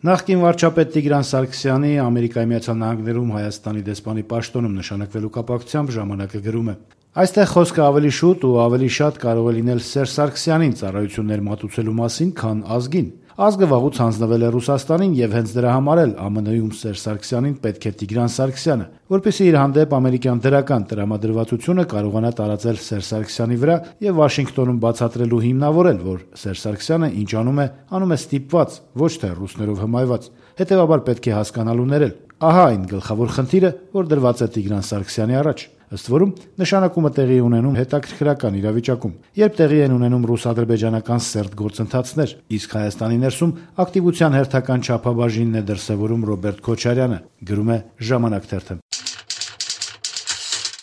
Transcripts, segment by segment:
Նախկին վարչապետ Տիգրան Սարգսյանի Ամերիկայի Միացյալ Նահանգներում Հայաստանի դեսպանի պաշտոնում նշանակվելու կապակցությամբ «Ժամանակ»-ը գրում է. «Այստեղ խոսքը ավելի շուտ ու ավելի շատ կարող է լինել Սերժ Սարգսյանին ծառայություններ մատուցելու մասին, քան ազգին։ Ազգը վաղուց հանձնվել է Ռուսաստանին եւ հենց դրա համար էլ ԱՄՆ-ում Սերժ Սարգսյանին պետք է Տիգրան Սարգսյանը, որպեսզի իր հանդեպ ամերիկյան դրական տրամադրվածությունը կարողանա տարածել Սերժ Սարգսյանի վրա եւ Վաշինգտոնում բացատրել ու հիմնավորել, որ Սերժ Սարգսյանը ինչ անում է ստիպված, ոչ թե ռուսներով հմայված։ Հետեւաբար պետք է հասկանալ ու ներել։ Ահա այն գլխավոր խնդիրը, որ դրված է Տիգրան Սարգսյանի առաջ։ Ըստ որում նշանակումը տեղի ունենում հետաքրքրական իրավիճակում, երբ տեղի են ունենում ռուս-ադրբեջանական սերտ գործընթացներ, իսկ Հայաստանի ներսում ակտիվության հերթական չափաբաժինն է դրսևորում Ռոբերտ Քոչարյանը», գրում է «Ժամանակ» թերթը։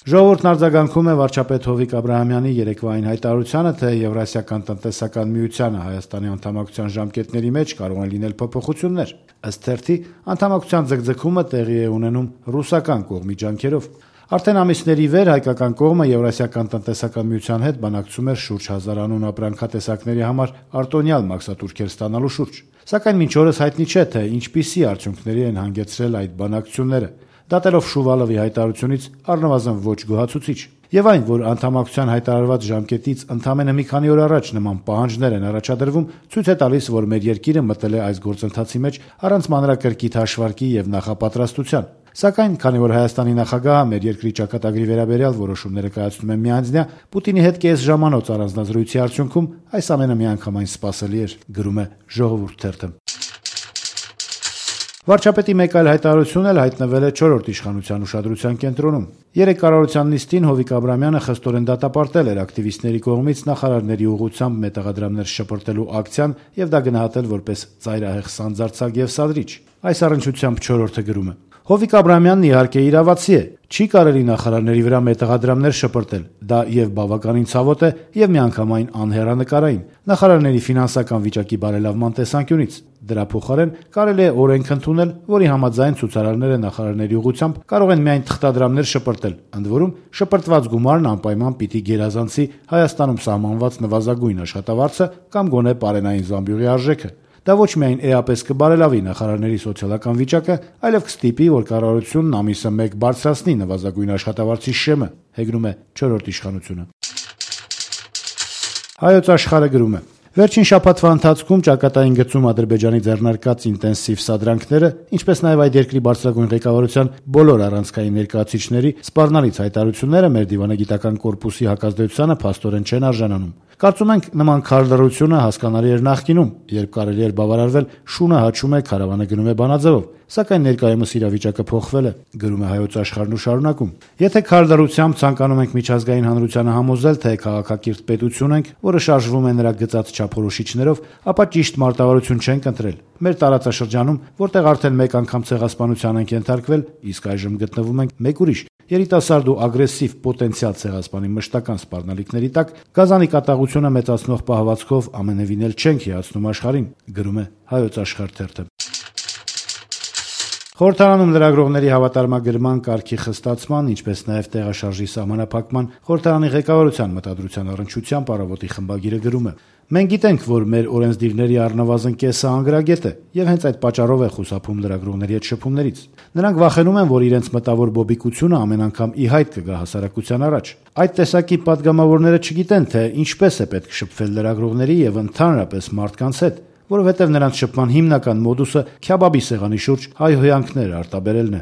Ժողովուրդն արձագանքում է վարչապետ Հովիկ Աբրահամյանի երեկվային հայտարարությանը, թե Եվրասիական տնտեսական միությանը Հայաստանի անդամակցության ժամկետների մեջ կարող են լինել փոփոխություններ։ Ըստ թերթի, անդամակցության ձգձգումը տեղի է ունենում ռուսական կողմի ջանքերով։ Արդեն ամիսների վեր հայկական կողմը Եվրասիական տնտեսական միության հետ բանակցում էր շուրջ 1000 անուն ապրանքատեսակների համար արտոնյալ մաքսատուրքեր ստանալու շուրջ։ Սակայն մինչ օրս հայտնի չէ, թե ինչպիսի արդյունքների են հանգեցրել այդ բանակցությունները, դատելով Շուվալովի հայտարարությունից առնվազն ոչ գոհացուցիչ։ Եվ այն, որ անդամակցության հայտարարված ժամկետից ընդամենը մի քանի օր առաջ նման պահանջներ են առաջադրվում, ցույց է տալիս, որ մեր երկիրը մտել է այս գործընթացի մեջ առանց մանրակրկիտ հաշվարկի եւ նախապատրաստության։ Սակայն, քանի որ Հայաստանի նախագահը մեր երկրի ճակատագրի վերաբերյալ որոշումները կայացնում է միանձնյա, Պուտինի հետ կես ժամանոց առանձնազրույցի արդյունքում այս ամենը միանգամայն սպասելի էր, գրում է «Ժողովուրդ» թերթը։ Վարչապետի մեկ այլ հայտարարություն էլ հայտնվել է 4-րդ իշխանության ուշադրության կենտրոնում։ Երեկ կառավարության նիստին Հովիկ Աբրահամյանը խստորեն դատապարտել էր ակտիվիստների կողմից նախարարների ուղղությամբ մետաղադրամներ շպրտելու ակցիան եւ դա գնահատել որպես ծայրահեղ սանձարձակ եւ սադրիչ։ Այս առնչությամբ 4-րդը գրում է. Հովիկ Աբրահամյանն իհարկե իրավացի է, չի կարելի նախարարների վրա մետաղադրամներ շպրտել, դա եւ բավականին ցավոտ է եւ միանգամայն անհեռանկարային նախարարների ֆինանսական վիճակի բարելավման տեսանկյունից։ Դրա փոխարեն կարելի է օրենք ընդունել, որի համաձայն ցուցարարները նախարարների ուղղությամբ կարող են միայն թղթադրամներ շպրտել, ընդ որում շպրտված գումարն անպայման պիտի գերազանցի Հայաստանում սահմանված նվազագույն աշխատավարձը կամ գոնե պարենային զամբյուղի արժեքը։ Դա ոչ միայն էապես կբարելավի նախարարների սոցիալական վիճակը, այլև կստիպի, որ կառավարությունն ամիսը մեկ բարձրացնի նվազագույն աշխատավարձի շեմը, հեգնում է 4-րդ իշխանությունը։ Հայոց Աշխարհը գրում է. Վերջին շաբաթվա ընթացքում ճակատային գծում Ադրբեջանի ձեռնարկած ինտենսիվ սադրանքները, ինչպես նաև այդ երկրի բարձրագույն ղեկավարության բոլոր առանցքային ներկայացուցիչների սպառնալից հայտարարությունները մեր դիվանագիտական կորպուսի հակազդեցությանը փաստորեն չեն արժանանում։ Կարծում ենք նման քարլռությունը հասկանալի էր նախկինում, երբ կարելի էր բավարարվել շունը հաչում է, քարավանը գնում է բանաձևով, սակայն ներկայումս իրավիճակը փոխվել է, գրում է Հայոց Աշխարհն ու շարունակում. Եթե քարլռությամբ ցանկանում ենք միջազգային հանրությանը համոզել, թե քաղաքակիրթ պետություն ենք, որը շարժվում է նրա գծած չափորոշիչներով, ապա ճիշտ մարտավարություն չենք ընտրել։ Մեր տարածաշրջանում, որտեղ արդեն մեկ անգամ ցեղասպանության ենք ենթարկվել, իսկ այժմ գտնվում ենք մեկ ուրիշ երիտասարդ ու ագրեսիվ պոտենցիալ ցեղասպանի մշտական սպառնալիքների տակ, գազանի կատաղությունը մեծացնող պահվածքով ամենևին էլ չենք հիացնում աշխարհին, գրում է Հայոց Աշխարհ թերթը։ Խորհրդարանում լրագրողների հավատարմագրման կարգի խստացման, ինչպես նաև տեղաշարժի սահմանափակման խորհրդարանի ղեկավարության մտադրության առնչությամբ առավոտի խմբագիրը գրում է. Մենք գիտենք, որ մեր օրենսդիրների առնվազն կեսը անգրագետ է, եւ հենց այդ պատճառով է խուսափում լրագրողների հետ շփումներից։ Նրանք վախենում են, որ իրենց մտավոր բոբիկությունը ամեն անգամ ի հայտ կգա հասարակության առաջ։ Այդ տեսակի падգամավորները չգիտեն, թե ինչպես է պետք շփվել լրագրողների եւ ընդհանրապես մարդկանց հետ, որովհետև նրանց շփման հիմնական մոդուսը քյաբաբի սեղանի շուրջ հայհոյանքներ արտաբերելն է։